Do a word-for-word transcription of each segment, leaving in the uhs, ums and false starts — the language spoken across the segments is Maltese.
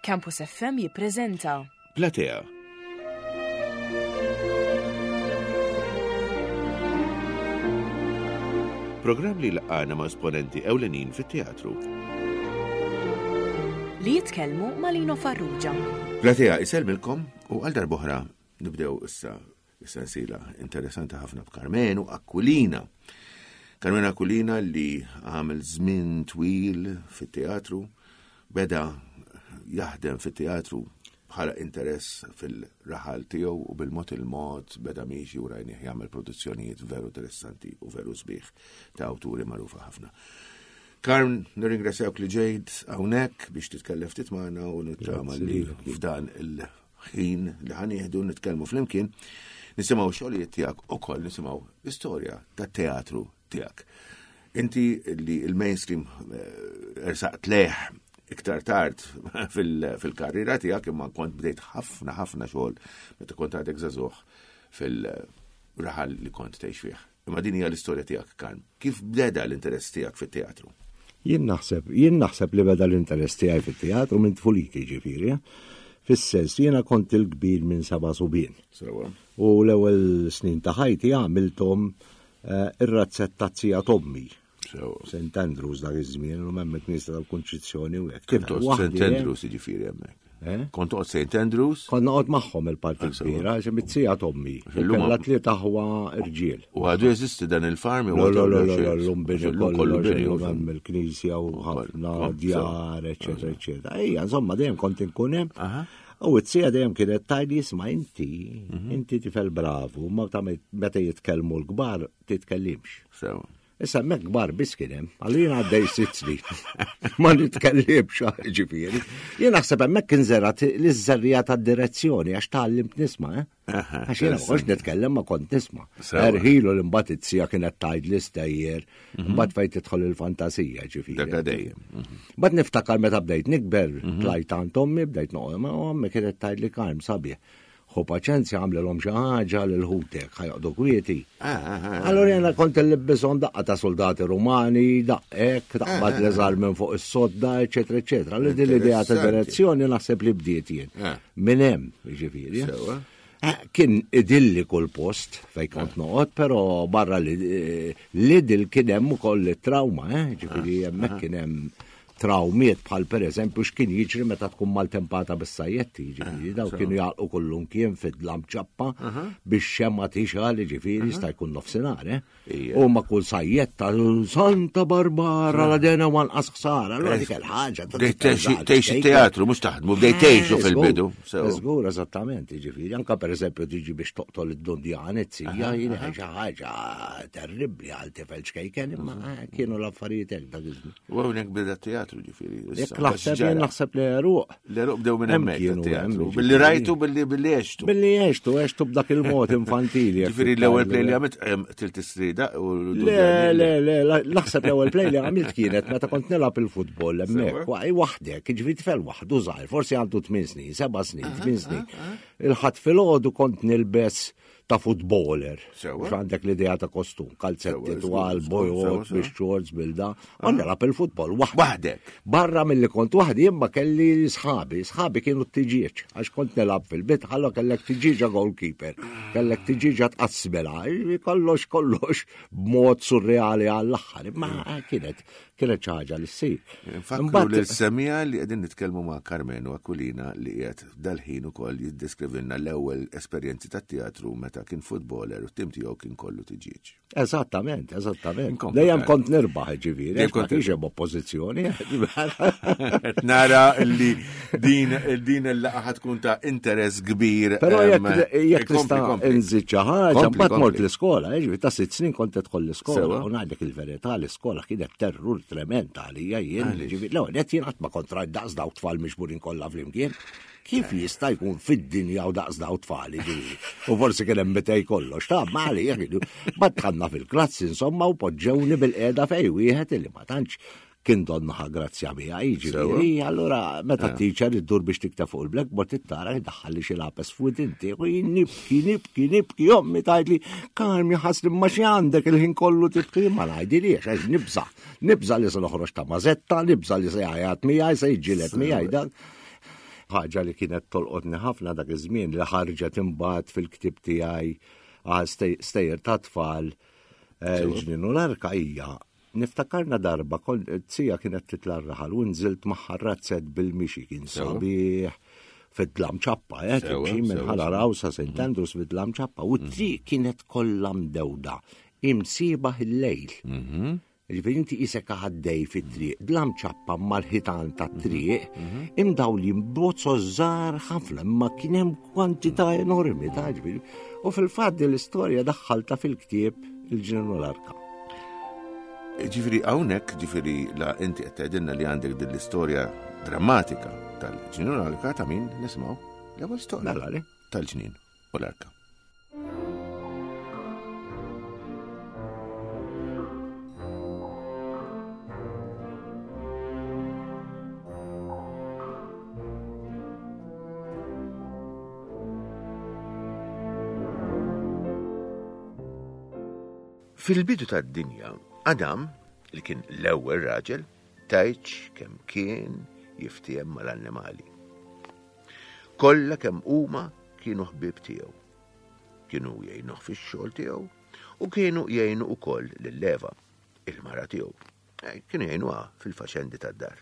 Campus F M jippreżenta Platea. Programm li laqana ma' esponenti ewlenin fit-teatru. Li jitkellmu ma' Lino Farrugia. Platea isellmilkom u għal darb'oħra nibdew issa is-sensiela interessanti ħafna b'Karmenu Aquilina. Karmenu Aquilina li għamel żmien twil fit-teatru, beda jaħdem fit-teatru bħala interess fil-raħal tiegħu u bil-mod il-mod beda miexi u rajnih jagħmel produzzjonijiet veru interessanti u veru sbieħ ta' awturi magħrufa ħafna. Karm, nirringrazzjawk li ġejt hawnhekk biex titkellem ftit magħna u nittama li f'dan il-ħin li ħa nieħdu nitkellmu flimkien nisimgħu xogħlijiet tiegħek ukoll nisimgħu l-istorja tat-teatru tiegħek. Inti li il-mainstream eh, ersaqt lejh iktar tard fil-karriera tiegħek, imma kont bdejt ħafna ħafna xogħol meta kont għadek żagħżugħ fil-raħal li kont tgħix fih. Imma din hija l-istorja tiegħek, Karm. Kif beda l-interess tiegħek fit-teatru? Jien naħseb, jien naħseb li beda l-interess tiegħi fit-teatru minn tfuliti, ġifieri. Eh? Fis-sens, jiena kont il-kbir minn seba' subien. Sewa. U l-ewwel snin ta' ħajti għamilthom eh, ir-razzett taz-zija t'ommi. Sewa. Saint Andrews dak iż-żmien, u hemm il-Knisja tal-Kunċizzjoni u hekk. Kif toqgħod Waħdi, Saint eh? Andrews, jiġifieri hemmhekk? Eh? Kont toqgħod Saint Andrews? Kont noqgħod magħhom il-parti Ah, sewa. kbira, għax mit-zija t'ommi. U Illum kellha tliet aħwa irġiel. U għadu jeżisti dan il-farm? Lo, lo, lo, lo, lo, l-lum bini kollu kollu, bini. illum hemm il-knisja u ħafna Kom- djar, eċetera, eċetera. Ejja, insomma, dejjem kont inkun hemm. Aha. U t-sija dejjem kienet tgħidli, "Isma', inti, inti tifel bravu, ma ta' meta jitkellmu l-kbar titkellimx." Sewa. Issa hemmhekk kbar biss kien hemm, għalli jien għaddej sitt snin. Ma nitkellimx, ġifieri. Jien naħseb hemmhekk kien żerat l-żerriegħa tad-direzzjoni għax tgħallimt nisma', eh? Aha, Għax jiena ma kontx nitkellem, ma kont nisma'. Sewa. Erħilu li mbagħad it-sija kienet tgħid l-istejjer, mbagħad fejn tidħol il-fantasija, ġifieri. Dak dejjem. Mhm. Bad niftakar meta bdejt nikber, tlajt għand ommi, bdejt noqgħod ma' ommi, kienet tgħid li, "Karm, sabiħ. Ħu paċenzja, għamlilhom xi ħaġa lil ħutek, ħa joqogħdu kwieti." Ah, ah, ah. Allora jena kont nlibbishom daqqa ta' soldati rumani, daqqek, taqbad l-eżar minn fuq is-sodda, eċetera, eċetera. Allora din l-idea ta' Interessanti. direzzjoni naħseb li bdiet jien. Ah. Minn hemm, ġifieri. Sewa. Eh, Kien idilli kull post fej kont noqgħod, però barra li l-idil kien hemm ukoll it-trauma, eh? Ġifieri hemmhekk kien hemm traumiet bħal per eżempju x'kien jiġri meta tkun maltempata bis-sajjetti, ġifieri daw kienu jagħlqu kullum kien fid-dlam ċappa biex xemma tixgħal, ġifieri jista' jkun nofsinhar, eh? Ija. U ma kull sajjetta, "Santa Barbara la dena wanqas ħsara", allura dik il-ħaġa. ta' Bdejt tifel tgħix żgħar, tgħix ċkejken. it-teatru, mhux taħdmu, bdejt tgħixu Eh, fil-bidu. żgur, Sewa. Żgur, eżattament, ġifieri, anka per eżempju tiġi biex toqtol id-dundjan, it-sija, jien xi ħaġa terribbli għal tifel ċkejken, imma eh, kienu l-affarijiet hekk dak iż-żmien. U hawnhekk beda t-teatru, ġifieri. Jekk naħseb, jien naħseb li għeruq. L-għeruq bdew minn Hemm hemmhekk kienu, tat-teatru. hemm, Billi ġifieri. rajtu, billi billi għextu. Billi għextu, għextu b'dak il-mod infantili. jekk Ġifieri l-ewwel play li titgħid. għamilt em, Tilt Istrida u Le, le, le, la- naħseb l-ewwel play li għamilt kienet meta kont nilgħab il-futbol hemmhekk, Sewa. wa- waħdek, ġifieri tifel waħdu żgħir, forsi għandu tmien snin, seba' snin, tmien snin. Il-Ħadd filgħodu kont nilbes ta' footballer. Sewa. Għax għandek l-idea ta' kostum, kalzetti Sewa, twal, żgur, bojot, sewa, sewa. bix-shorts, bil-da. U nilgħab il-futbol waħdi. Waħdek. Barra mill-li kont waħdi, imma kelli sħabi, sħabi kienu t-tiġieġ, għax kont nilgħab fil-bit, ħallu kellek tiġieġa goalkeeper, kellek tiġieġa tqassmela, kollox kollox b'mod surreali għall-aħħar, imma kienet kienet xi ħaġa li ssir. Nfakru Imbagħad- l-semija li qegħdin nitkellmu ma' Karmenu Aquilina li qiegħed dal-ħin ukoll jiddeskrivilna l-ewwel esperjenzi tat-teatru meta kien footballer u t-tim tiegħu kien kollu tiġieġ. Eżattament, eżattament. Inkomplu, Dejjem Karm. kont nirbaħ, ġifieri, Dejjem għax ma kont kienx hemm oppożizzjoni. Qed nara li din din il-laqgħa tkun ta' interess kbir. Però em, jekk jekk kompli, tista' kompli. nżid xi ħaġa, Kompli, mbagħad mort kompli. l-iskola, ġifieri ta' sitt snin kont tidħol l-iskola Sewa. u ngħidlek il-verità, l-iskola kienet terrur trement għalija jien. Għaliex? Ġifieri l-ewwel nett jien qatt ma kont rajt daqs daw tfal miġburin kollha flimkien. Kif jista' jkun fid-dinja u daqs daw tfal, ġifieri? U forsi kien hemm mitej kollox, ta' ma għalija kienu. Mbagħad dħalna fil-klassi insomma u poġġewni bil-qiegħda fej wieħed illi ma tantx kien donnaħa grazzja miegħi, ġifieri, allura meta t-teacher iddur biex tikteb fuq il-blackboard tittara jdaħħalli xi lapes f'widinti u jien nibki, nibki, nibki, ommi tgħidli, "Karmi, ħasli, ma xi għandek il-ħin kollu tibki?" Ma ngħidiliex għax nibża. Nibża li se noħroġ ta' mażetta, nibża li se jgħajat miegħi, se jiġġieled miegħi dan. Ħaġa li kienet tolqotni ħafna dak iż-żmien li ħarġet imbagħad fil-ktieb tiegħi għal stejjer ta' tfal il-ġnien u l-arka hija. Niftakarna darba zija kienet titla' r-raħal u nżilt magħha razzett bil-mixi kien sabiħ fid-dlam ċappa, eh, timxi minn Ħal Għargħur sa Saint Andrews fid-dlam ċappa u t-triq kienet kollha mdewda imsiebaħ il-lejl. Ġifieri inti qisek għaddej fit-triq, dlam ċappa mal-ħitan tat-triq, imdawlin bozzo żgħar ħafna, imma kien hemm kwantità enormi ta' ġifieri. U fil-fatt din l-istorja daħħalta fil-ktieb il-ġnien u l-arka. Ġifieri hawnhekk, ġifieri la inti qed tgħidilna li għandek din l-istorja drammatika tal-ġnien u l-arka ta' min nisimgħu l-ewwel storja Mela, le? tal-ġnien u l-arka. Fil-bidu tad-dinja, Adam, li kien l-ewwel raġel, tgħidx kemm kien jiftiehem mal-annimali. Kollha kemm huma kienu ħbieb tiegħu. Kienu jgħinuh fix-xogħol tiegħu u kienu jgħinu wkoll lil Eva, il-mara tiegħu. Eh, Kienu jgħinuha fil-faċendi tad-dar.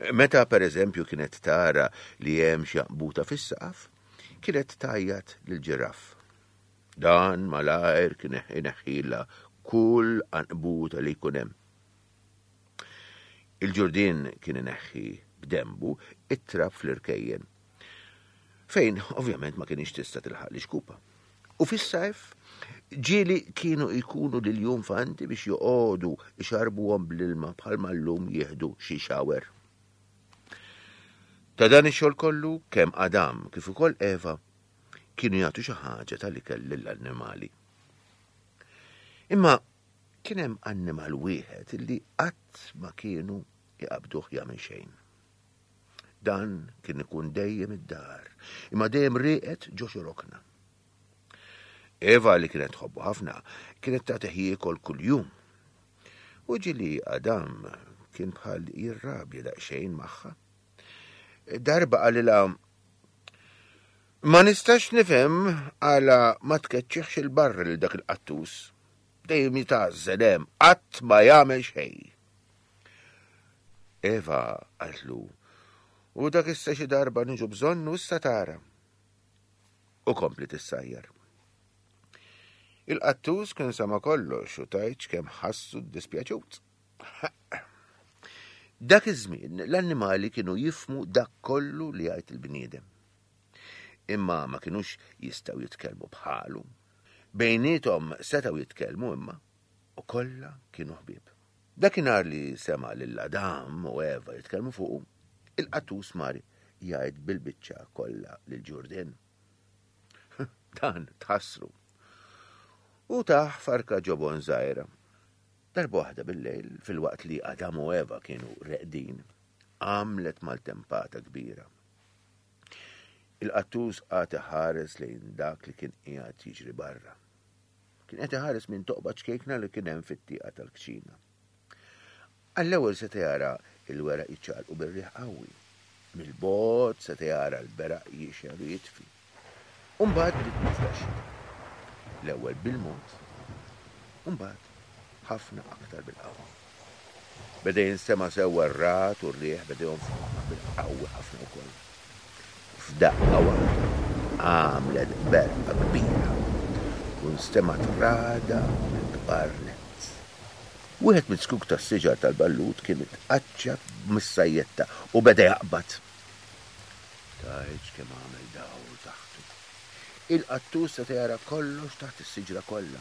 Meta pereżempju kienet tara li hemm xi għanqbuta fis-saqaf, kienet tgħajjat lil ġiraff. Dan malajr kien ineħħilha kull għanqbuta li jkun hemm. Il-ġurdien kien ineħħi b'dembu it-trab fl-irkejjen, fejn ovvjament ma kienx tista' tilħaq l-ixkupa. U fis-sajf ġieli kienu jkunu l-iljunfanti biex joqogħdu ixarbuhom bl-ilma bħalma llum jieħdu xi shower. Ta' dan ix-xogħol kollu kemm Adam kif ukoll Eva kienu jagħtu xi ħaġa tal-ikel lill-annimali. Imma kien hemm annimal wieħed li qatt ma kienu jqabduh jagħmel xejn. Dan kien ikun dejjem id-dar, imma dejjem rieqed ġo xi rokna. Eva li kienet tħobbu ħafna kienet tagħtih jiekol kuljum. U ġieli Adam kien bħal jirrabja daqsxejn magħha. Darba qalilha, ma nistax nifhem għala ma tkeċċiħx il-barra lil dak il-qattus. Dejjem jitgħażżel hemm, qatt ma jagħmel xejn. Eva qaltlu, u dak issa xi darba niġu bżonnu issa tara. U kompli tissajjar. Il-qattus kien sama kollox u tgħidx kemm ħassu ddispjaċut. Dak iż-żmien l-annimali kienu jifhmu dak kollu li jgħid il-bniedem. Imma ma kinux jistgħu jitkellmu bħalu. Bejniethom setgħu jitkellmu imma u kollha kienu ħbieb. Dakinhar li sema' lil Adam u Eva jitkellmu fuqu, il-qattus mar jgħid bil-biċċa kollha lil ġurdien. Dan tħassru. U taħ farka ġobon żgħira. Darba waħda bil-lejl, fil-waqt li Adam u Eva kienu reqdin, għamlet maltempata kbira. Il-qattus qagħad iħares lejn dak li kien qiegħed jiġri barra. Kien qed iħares minn toqba ċkejkna li kien hemm fit-tieqa tal-kċina. Għall-ewwel seta' jara l-weraq jiċċaqalqu bir-riħ qawwi. Mill-bogħod seta' jara l-beraq jixgħel u jitfi. U mbagħad bdiet nieżla x-xita. L-ewwel bil-mod, u mbagħad ħafna aktar bil-qawwa. Beda jinstema' sewwa r-ragħad u r-riħ beda jonfoħ bil-qawwi ħafna wkoll. F'daqqa waħda għamlet berqa kbira u nstemgħet ragħda mill-kbar nett. Wieħed miz-zkuk tas-siġar tal-ballut kien itqaċċat mis-sajjetta u beda jaqbad. Tgħidx kemm għamel dawl taħtu. Il-qattus seta' jara kollox taħt is-siġra kollha.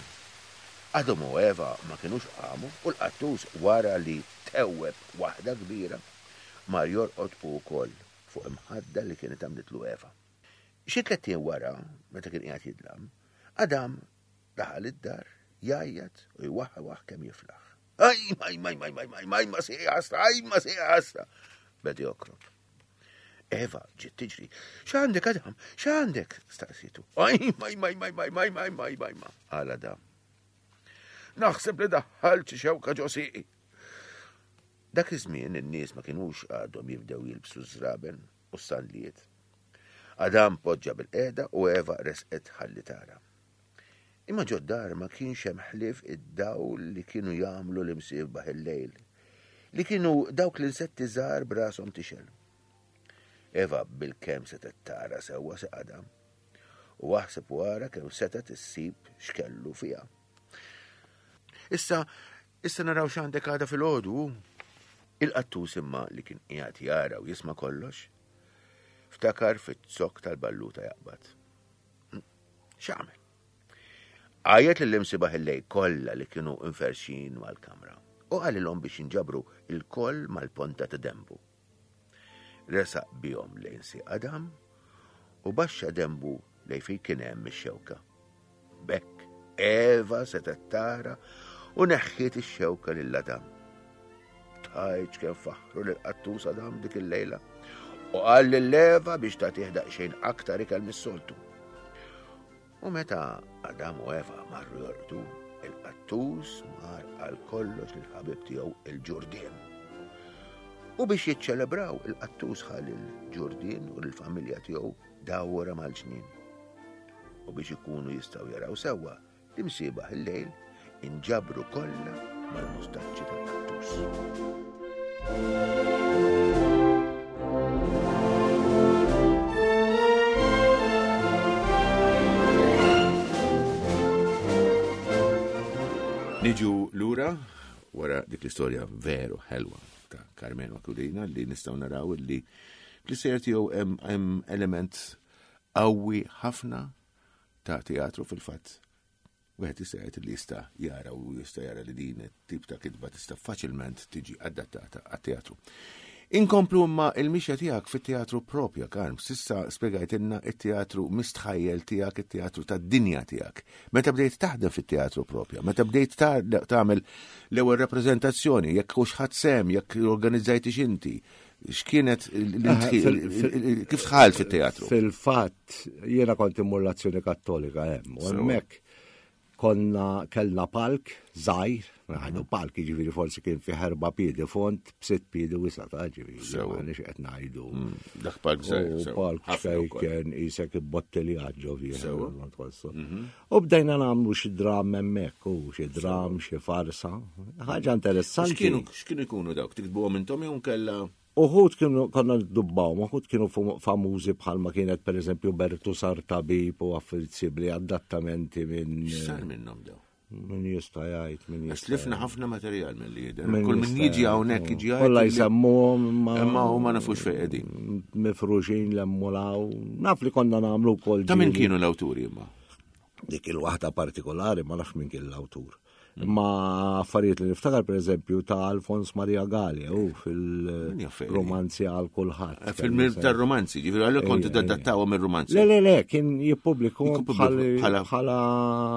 Adam u Eva ma kinux qamu u l-qattus wara li tewweb waħda kbira mar jorqod u wkoll fuq imħadda li kienet għamlitlu Eva. Xi tlett ijiem wara, meta kien qiegħed jidlam, Adam daħal id-dar jgħajjat u jwaħħawaħ kemm jiflaħ. Aj, maj, maj, maj, maj, maj, maj, ma sieqi ħasra, aj, ma sieqi ħasra. Beda jokrob. Eva ġiet tiġri. X'għandek, Adam? X'għandek? Staqsitu. Aj, maj, maj, maj, maj, maj, maj, maj, maj, ma. Qal Adam. Naħseb li daħħalt xi xewka ġo sieqi. Dak iż-żmien in-nies ma kinux għadhom jibdew jilbsu żraben. u s-sandlijiet. Adam poġġa bil-qiegħda u Eva resqet ħalli tara. Imma ġod-dar ma kienx hemm ħlief id-dawl li kienu jagħmlu l-imsiebaħ il-lejl, li kienu dawk l-insetti żgħar b'rashom tixgħel. Eva bil-kemm setgħet tara sewwa se Adam u aħseb wara kemm setgħet issib x'kellu fiha. Issa, issa naraw x'għandek għada fil-għodu. Il-qattus imma li kien qiegħed jara u jisma' kollox, ftakar fit-zokk tal-balluta jaqbad. X'għamel? Għajjet lill-imsiebaħ il-lejl kollha li kienu inferxin mal-kamra u qalilhom biex jinġabru il-koll mal-ponta ta' dembu. Resaq bihom lejn si Adam u baxxa dembu lejn fejn kien hemm ix-xewka. B'hekk Eva setgħet tara u neħħiet ix-xewka lil Adam. Tgħidx kemm faħru lil qattus Adam dik il-lejla u qal lil Eva biex tagħtih daqsxejn aktar ikel mis-soltu. U meta Adam u Eva marru jorqdu, il-qattus mar għal kollox lill-ħabib tiegħu il-ġurdien. U biex jiċċelebraw il-qattus ħa lill-ġurdien u lill-familja tiegħu dawra mal-ġnien. U biex ikunu jistgħu jaraw sewwa, l-imsiebaħ il-lejl inġabru kollha mal-mustaċċi tal-qattus. Niġu lura wara dik l-istorja veru ħelwa ta' Karmenu Aquilina li nistgħu naraw li fl-istejjer tiegħu hemm element qawwi ħafna ta' teatru fil-fatt. Wieħed jista' jgħid li jista' jara u jista' jara li din it-tip ta' kitba tista' faċilment tiġi adattata għat-teatru. Inkomplu imma il-mixja tiegħek fit-teatru propja, Karm. S'issa spjegajtilna it-teatru mistħajjel tiegħek, it-teatru tad-dinja tiegħek. Meta bdejt taħdem fit-teatru propja, meta bdejt tagħmel l-ewwel rappreżentazzjoni, jekk hux ħadd sehem, jekk organizzajtix inti, x'kienet kif dħalt fit-teatru? Fil-fatt, jiena kont immur l-Azzjoni Kattolika hemm, u hemmhekk konna kellna palk żgħir, ngħidu palk jiġifieri forsi kien fi erba' piedi font b'sitt piedi wisa' ta' ġifieri, m'għandniex qed ngħidu. Dak palk żgħir. Palk fejn kien isek ibbottiljat ġo fih. U bdejna nagħmlu xi dram hemmhekk, u xi dram, xi farsa. Ħaġa interessanti. X'kienu jkunu dawk? Tiktbuhom intom jew nkella? Uħud kienu konna ndubbawhom, uħud kienu famużi bħalma kienet pereżempju Bertu sar tabib u affarijiet simili, adattamenti minn. X'sar minnhom daw? Min jista' jgħid, min jista'. Tlifna ħafna materjal milli jidher. Kull min jiġi hawnhekk jiġi jgħid. Kollha jsemmuhom imma huma nafux fejn qegħdin. Mifruxin l-emmulaw. Naf li konna nagħmlu wkoll. Ta' min kienu l-awturi imma? Dik il-waħda partikolari ma nafx min kien l-awtur. Imma affarijiet li niftakar pereżempju ta' Alfons Maria Galea u fil-romanzi għal kulħadd. Fil-mir tar-romanzi, ġifieri għalhekk kont tadattawhom ir-romanzi. Le, le, le, kien jippubblikhom bħala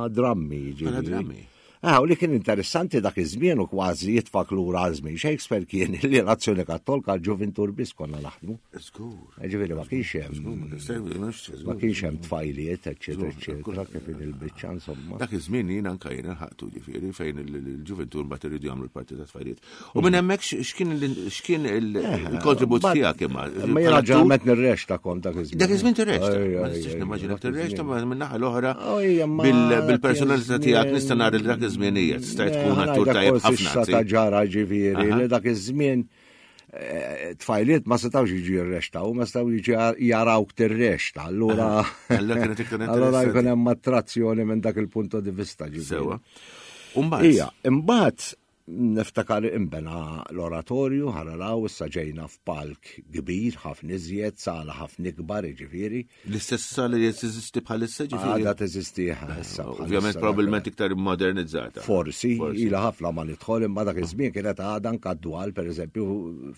drammi. Bħala drammi. Ah, u li kien interessanti dak iż-żmien u kważi jitfak lura żmien Shakespeare kien li l-Azzjoni Kattolika l-ġuvintur biss konna naħdmu. Żgur. Ġifieri ma kienx hemm. Ma kienx hemm tfajliet, eċċetera, eċċetera, kif il-biċċa insomma. Dak iż-żmien jien anke jiena ħaqtu ġifieri fejn il-ġuvintur mbagħad iridu jagħmlu l-parti ta' tfajliet. U minn hemmhekk x'kien x'kien il-kontribut tiegħek imma? Ma jiena ġalment nirrexta kont dak iż-żmien. Dak iż-żmien tirrexta. Ma nistax nimmaġinak tirrexta ma min-naħa l-oħra bil-personalità tiegħek nista' nara li dak iż-żmienijiet stajt tkun attur tajjeb ħafna. Ta' ġara ġifieri li dak iż-żmien tfajliet ma setgħux jiġu jirrextaw, ma setgħu jiġu jarawk tirrexta. Allura allura jkun hemm attrazzjoni minn dak il-punto di vista ġifieri. Sewwa. U mbagħad. Ija, imbagħad niftakar imbena l-oratorju, ħaralaw, issa ġejna f'palk kbir, ħafna iżjed, sala ħafna ikbar, ġifieri. L-istess sala li teżisti bħalissa ġifieri? Għadha teżisti issa. Ovvjament probabbilment iktar modernizzata. Forsi, ilha ħafna ma nidħol, imma dak iż-żmien kienet għadha nkaddu għal, pereżempju,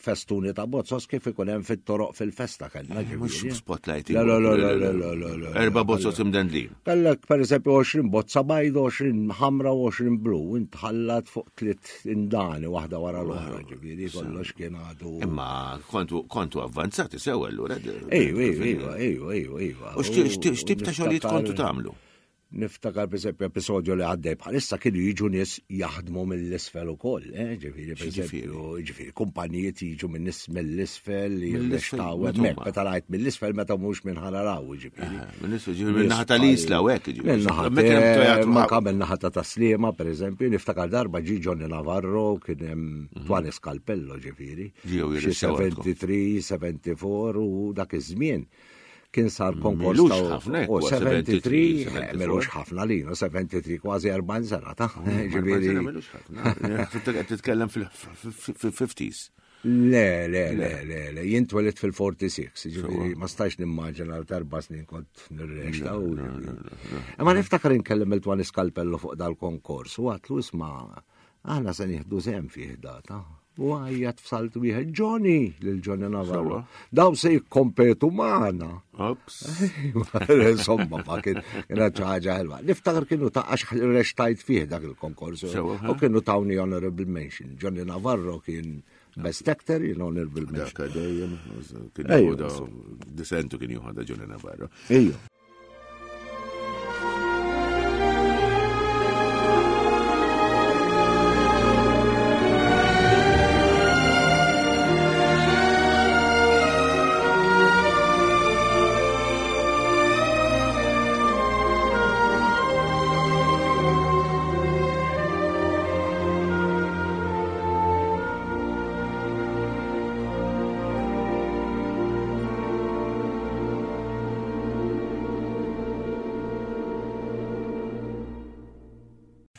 festuni ta' bozzos kif ikun hemm fit-toroq fil-festa kellna ġifieri. Mhux spotlighting. Le, le, le, le, le, le. Erba' bozzos imdendlin. Kellek pereżempju għoxrin bozza bajda, għoxrin ħamra u għoxrin blu, intħallat fuq tliet indani waħda wara l-oħra, ġifieri kollox kien għadu. Imma kontu kontu avvanzati sew allura. Ejju, ejju, ejju, ejju, ejju. U x'tip ta' xogħlijiet kontu tagħmlu? Niftakar per esempio episodju li għaddej bħalissa kienu jiġu nies jaħdmu mill-isfel ukoll, eh, ġifieri per esempio, ġifieri kumpanijiet jiġu minn nies mill-isfel li jirrextaw hemmhekk, meta rajt mill-isfel meta mhux minn ħararaw, ġifieri. Mill-isfel, ġifieri minn naħa tal-Isla u hekk, ġifieri. Ma kamel naħa ta' Taslima, per esempio, niftakar darba ġi Johnny Navarro kien hemm mhm. Twan Scalpello, ġifieri. Xi sebgħa u sebgħin, sebgħa u sebgħin u dak iż-żmien kien sar konkors ta' u sebgħa u sebgħin, milux ħafna li, u sebgħa u sebgħin kważi erbgħin sena ta' ġifieri. Milux ħafna. Titkellem fil-fifties. Le, le, le, le, le, jien twelidt fil-sitta u erbgħin, ġifieri ma stajx nimmaġina l erba' snin kont nirrexta. Imma niftakar inkellem il-Twan Scalpello fuq dal-konkors u għatlu isma' aħna se nieħdu sehem fih data. U għajjat f'salt wieħed Johnny lil Johnny Navarro. Daw se jikkompetu magħna. Ops. Insomma, ma kien kienet xi ħaġa ħelwa. Niftakar kienu ta' għax rextajt fih dak il-konkors. U kienu tawni honorable mention. Johnny Navarro kien best actor, jien honorable mention. Dak dejjem kien jieħu disentu kien jieħu Johnny Navarro. Ejju.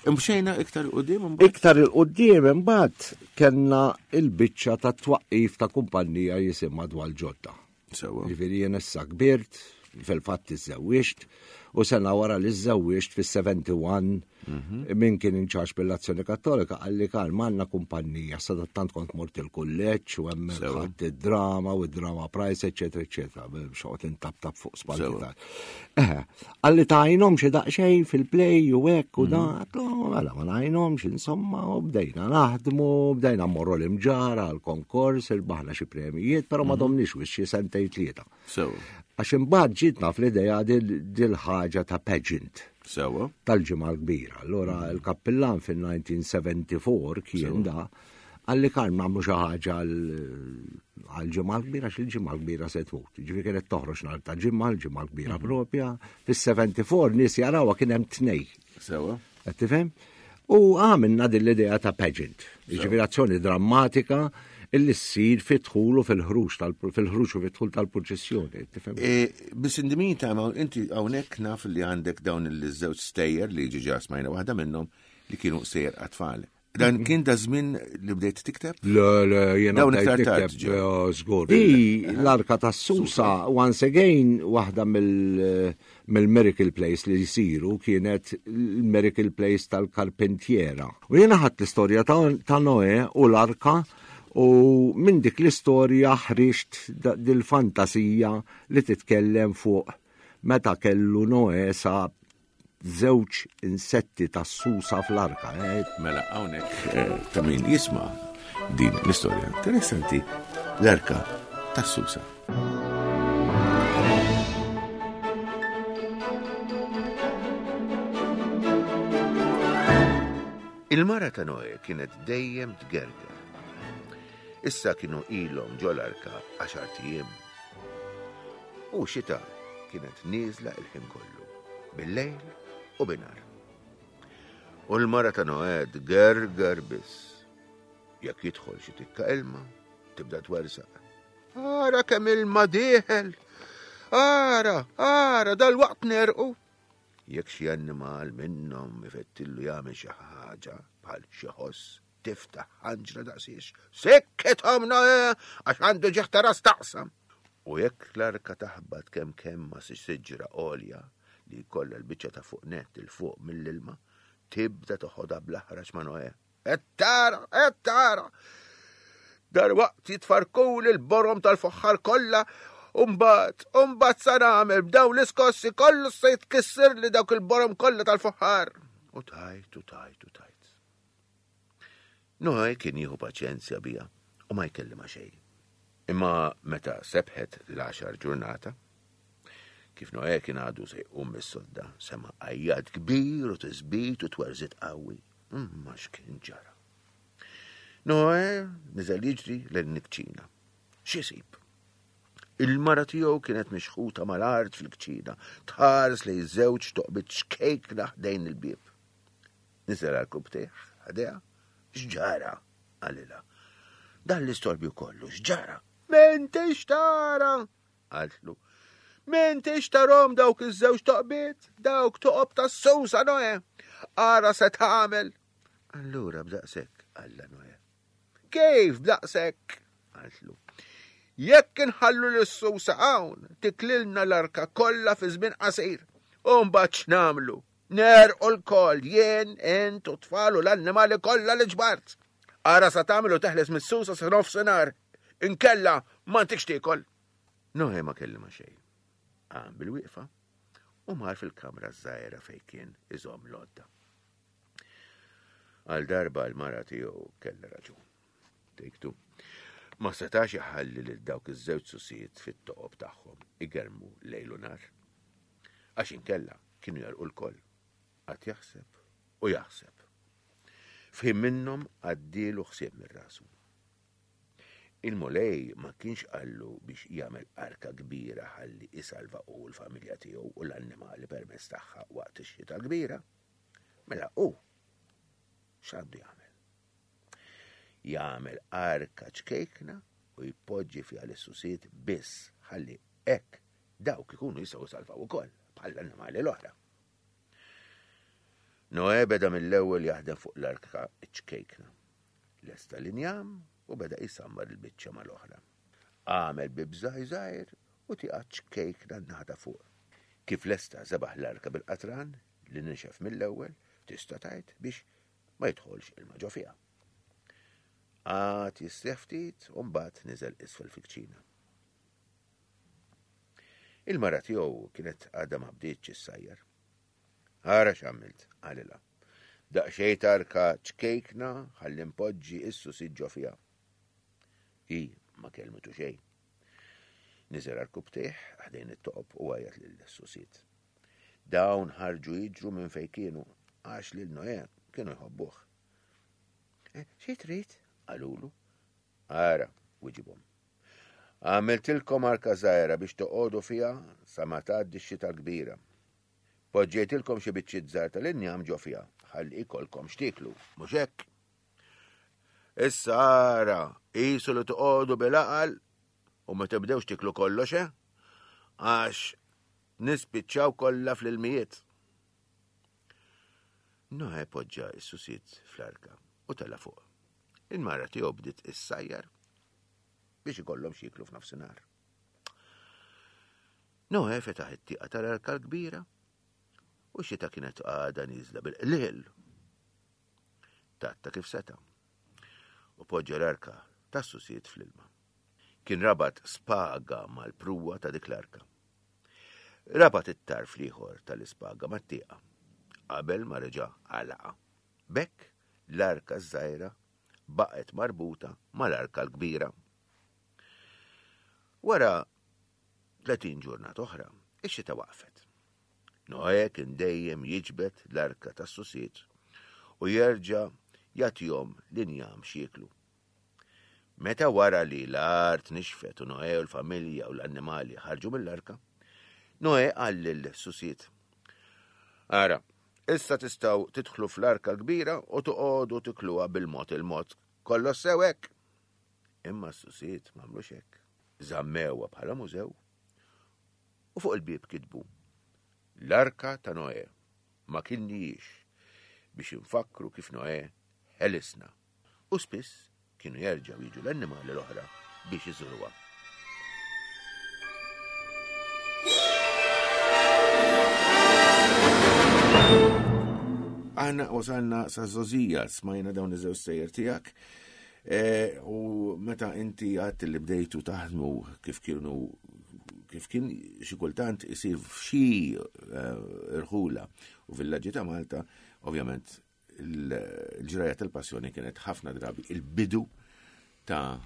Imxejna iktar il-qudiem imbagħad? Iktar il-qudiem imbagħad kellna il-biċċa ta' twaqqif ta' kumpanija jisimha Dwal Ġodda. Sewa. Ġifieri jien issa kbirt, fil-fatt iżżewwiġt, u sena wara li żżewwiġt fis-sebgħa u sebgħin min kien inċax bil-Azzjoni Kattolika qalli Karl m'għandna kumpanija, sadattant kont mort il-kulleġġ u hemmhekk ħadt id-drama u id-drama prize, eċetera, eċetera, xoqgħod intaptap fuq spalti ta' Eħe, qalli tajnhom xi daqsxejn fil-play u hekk u dan, mela ma ngħinhomx, insomma, u bdejna naħdmu, bdejna mmorru l-imġara għall-konkors, irbaħna xi premijiet, però ma domniex wis xi sentejn tlieta. Sewa. Għax imbagħad ġietna fl-idea dil-ħaġa ta' pageant. Sewa. Tal-ġimgħa l-kbira. Allura il-kappillan fil-nineteen seventy-four kien da qalli Karl nagħmlu xi ħaġa għall-ġimgħa l-kbira għax il-ġimgħa l-kbira se tmut. Ġifieri kienet toħroġ nhar ta' ġimgħa, l-ġimgħa l-kbira propja. Fis-seventy-four nies jarawha kien hemm tnej. Sewa. Qed tifhem? U għamilna din l-idea ta' pageant. Ġifieri azzjoni drammatika illi ssir fid-dħul u fil-ħruġ tal-, fil-ħruġ u fid-dħul tal-purċissjoni, tifhem? E, biss indimin ta' ma inti hawnhekk naf li għandek dawn il-żewġ stejjer li ġiġa smajna waħda minnhom li kienu stejjer għat-tfal. Dan kien da żmien li bdejt tikteb? Le, le, jiena Dawn bdejt iktar tard nikteb, ġew. eh, żgur. Di l-Arka tas-Susa, once again, waħda mill-, mill-Miracle Place li jsiru kienet il-Miracle Place tal-Karpentiera. U jiena ħadt l-istorja ta', ta' Noè u l-Arka u minn dik l-istorja ħriġt da-, dil-fantasija li titkellem fuq meta kellu Noè sa żewġ insetti tas-susa fl-arka. Eh? Mela hawnhekk, eh, ta' min jisma' din l-istorja interessanti, l-arka tas-susa. Il-mara ta' Noè kienet dejjem tgerger. Issa kienu ilhom ġol-arka għaxar ijiem. U xita kienet nieżla il-ħin kollu, bil-lejl u binhar. U l-mara ta' Noè tgerger biss. Jekk jidħol xi tikka ilma, tibda twersaq. Ara kemm ilma dieħel! Ara, ara, dal-waqt nerqu! Jekk xi annimal minnhom ifettillu jagħmel xi ħaġa bħal xi ħoss, tiftaħ ħanġra daqsiex. Sekket għamna, eh, għax għandu ġieħ ta' ras taqsam. U jekk l-arka taħbat kemm kemm ma' xi siġra għolja li jkollha l-biċċa ta' fuq nett il fuq mill-ilma, tibda toħodha bl-aħrax ma' Noè. Qed tara, qed tara! Darwaqt jitfarkuli l-borom tal-foħħar kollha, u mbagħad, u mbagħad sa nagħmel b'dawn l-iskossi kollu se jitkisser li dawk il-borom kollha tal-foħħar. U tajt, u tajt, u tajt. Noè kien jieħu paċenzja bija u ma jkellimha xejn. Imma meta sebħet l-għaxar ġurnata, Kif Noè kien għadu se jqum mis-sodda, sema' għajjat kbir u tisbit u twerżit qawwi. Imma x'kien ġara? Noè niżel jiġri lejn il-kċina. X'isib? Il-mara tiegħu kienet mixħuta mal-art fil-kċina, tħares lejn żewġ toqbit ċkejkna ħdejn il-bieb. Niżel għarkupptejh ħdejha. X'ġara? Qalilha. Dan l-istorbju kollu x'ġara? M'intix tara! Qaltlu. M'intix tarahom dawk iż-żewġ toqbiet, dawk toqob tas-susa Noè. Ara se tagħmel. Allura b'daqshekk, qallha Noè. Kif b'daqshekk? Qaltlu. Jekk inħallu lis-susa hawn, tiklilna l-arka kollha fi żmien qasir. U mbagħad x'nagħmlu? Negħrqu lkoll, jien, int u tfal u l-annimali kollha li ġbart. Ara sa tagħmel u teħles mis-susa sa nofsinhar. Inkella ma ntikx tiekol. Noè ma kellima xejn. Qam bil-wieqfa u mar fil-kamra żgħira fejn kien iżomm l-għodda. Għal darba l-mara tiegħu kellha raġun. Take two. Ma setax iħalli lil dawk iż-żewġ susijiet fit-toqob tagħhom igermu lejl u nhar. Għax inkella kienu jegħrqu lkoll. Qagħad jaħseb u jaħseb. F'ħin minnhom għaddielu ħsieb minn rasu. Il-Mulej ma kienx qallu biex jagħmel arka kbira ħalli isalva u l-familja tiegħu u l-annimali permezz tagħha waqt ix-xita kbira. Mela hu x'għandu jagħmel? Jagħmel arka ċkejkna u jpoġġi fiha l-susiet biss ħalli hekk dawk ikunu jistgħu jsalvaw ukoll bħall-annimali l-oħra. Noè beda mill-ewwel jaħdem fuq l-arka ċkejkna. Lesta l-injam u beda jisammar il-biċċa mal-oħra. Għamel bieb żgħir u tieqa ċkejkna n-naħa ta' fuq. Kif lesta żebagħ l-arka bil-qatran li nixef mill-ewwel tista' tgħid biex ma jidħolx ilma ġo fiha. Qagħad jistrieħ ftit u mbagħad niżel isfel fil-kċina. Il-mara tiegħu kienet għadha ma bdietx issajjar. Ara x'għamilt, qalilha. Daqsxejn tarka ċkejkna ħalli npoġġi is-susiet ġo fiha. Hi ma kellmitu xejn. Niżel għarkupptejh ħdejn it-toqob u għajjat lil-susiet. Dawn ħarġu jiġru minn fejn kienu għax lil Noè kienu jħobbuh. Eh, xi trid? Qalulu. Ara, wiġibhom. Għamiltilkom arka żgħira biex toqogħdu fiha sa ma tgħaddi x-xita kbira. Poġġejtilkom xi biċċiet żgħar tal-injam ġo fiha ħalli jkollkom x'tieklu, mhux hekk? Issa ara, qisu li toqogħdu bil-għaqal u ma tibdewx tiklu kollox, eh? Għax nispiċċaw kollha fl-ilmijiet. Noè poġġa s-susiet fl-arka u tela' fuq. Il-mara tiegħu bdiet issajjar biex ikollhom x'jieklu f'nofsinhar. Noè fetaħ it-tieqa tal-arka l-kbira u xita kienet għadha nieżla bil-qlil. Tgħatta kif seta' u poġġa l-arka tas-susiet fl-ilma. Kien rabat spaga mal-pruwa ta' dik l-arka. Rabat it-tarf l-ieħor tal-ispaga mat-tieqa qabel ma reġa' għalaqa. B'hekk l-arka żgħira baqgħet marbuta mal-arka l-kbira. Wara tletin ġurnata oħra, ix-xita waqfet. Noè kien dejjem jiġbed l-arka tas-susiet u jerġa' jagħtihom l-injam x'jieklu. Meta wara li l-art nixfet u Noè u l-familja u l-annimali ħarġu mill-arka, Noè qal lil-susiet: Ara, issa tistgħu tidħlu fl-arka l-kbira u toqogħdu tikluha bil-mod il-mod. Kollox sew hekk. Imma s-susiet m'għamlux hekk. Żammewha bħala mużew u fuq il-bieb kitbu: L-arka ta' Noè ma kilnihiex biex infakkru kif Noè ħelisna. U spiss kienu jerġgħu jiġu l-annimali l-oħra biex iżuruha. Aħna wasalna sa' żgħożija, smajna dawn iż-żewġ sejjer tiegħek. Eh, u meta inti għedt li bdejtu taħdmu kif kienu kif kien xi kultant isir f'xi, eh, irħula u villaġġi ta' Malta, ovvjament il-ġraja tal-passjoni kienet ħafna drabi il-bidu ta'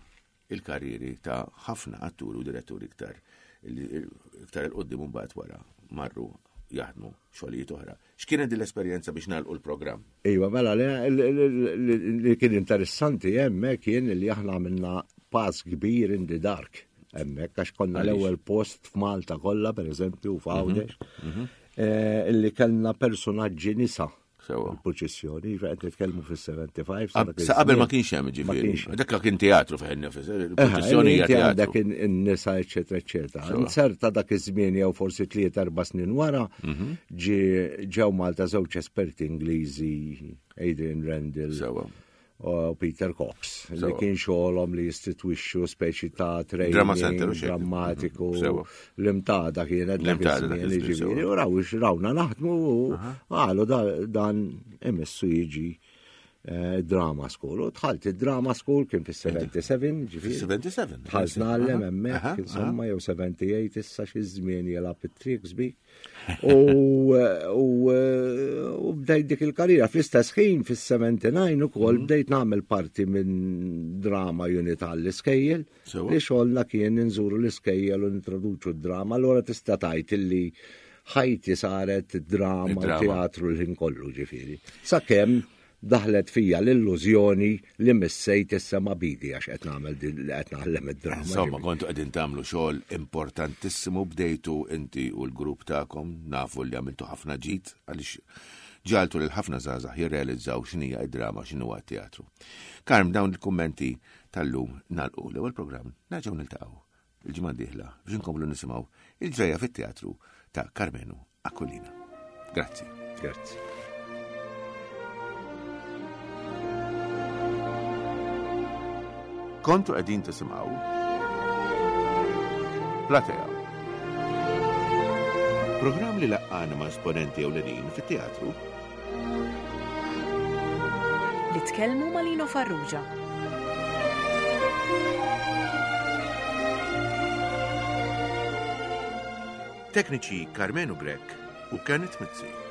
il-karriri ta' ħafna atturi u diretturi iktar Illi iktar 'il quddiem mbagħad wara marru jaħdmu xogħlijiet oħra. X'kienet din l-esperjenza biex nagħlqu l-programm? Iva, mela, li kien interessanti hemmhekk kien li aħna għamilna pass kbir in the dark hemmhekk għax konna l-ewwel post f'Malta kollha, pereżempju, f'Għawdex, mhm, mhm. eh, illi kellna personaġġi nisa. Il-purċissjoni, qed nitkellmu fis-sebgħa u sebgħin. Sa qabel ma kienx hemm ġifieri. Dak kien teatru fejn il-purċissjoni hija teatru. Dak in-nisa eċetera eċetera. Inserta dak iż-żmien jew forsi tliet erba' snin wara mhm. ġew Malta żewġ esperti Ingliżi, Adrian Randall. U Peter Cox, li kien xogħolhom li jistitwixxu speċi ta' training drammatiku. Mhm. L-MTADA kienet ġifieri, u raw rawna naħdmu u qalu dan imissu jiġi eh, drama school. U dħalt id-drama school kien fis-sebgħa u sebgħin, ġifieri. sebgħa u sebgħin. Dħalt ngħallem hemmhekk, insomma, jew sebgħa u tmienja issa xi żmien jilgħab it-tricks bik. U bdejt dik il-karriera fl-istess ħin fis-sebgħa u sebgħin ukoll mhm. bdejt nagħmel parti minn drama unit għall-iskejjel li xogħolna kien nżuru l-iskejjel u nintroduċu d-drama, allura tista' tgħid illi ħajti saret drama u teatru l-ħin kollu ġifieri. Sakemm daħlet fija l-illużjoni li missejt is-sema bidi għax qed nagħmel li qed naħlem id-drama. Insomma, kontu qegħdin tagħmlu xogħol importantissimu, bdejtu inti u l-grupp tagħkom, nafu li għamiltu ħafna ġid għaliex ġagħaltu lil ħafna żgħażagħ jirrealizzaw x'inhija id-drama, x'inhu teatru. Karm, dawn il-kummenti tal-lum nagħlqu l-ewwel programm, nerġgħu niltaqgħu il-ġimgħa d-dieħla biex inkomplu nisimgħu il-ġrejja fit-teatru ta' Karmenu Aquilina. Grazzi. Grazzi. Kontu qegħdin tisimgħu Platea. Programm li laqqana ma' esponenti ewlenin fit-teatru li tkellmu ma' Lino Farrugia. Tekniċi Karmenu Grech u Kenneth Mizzi.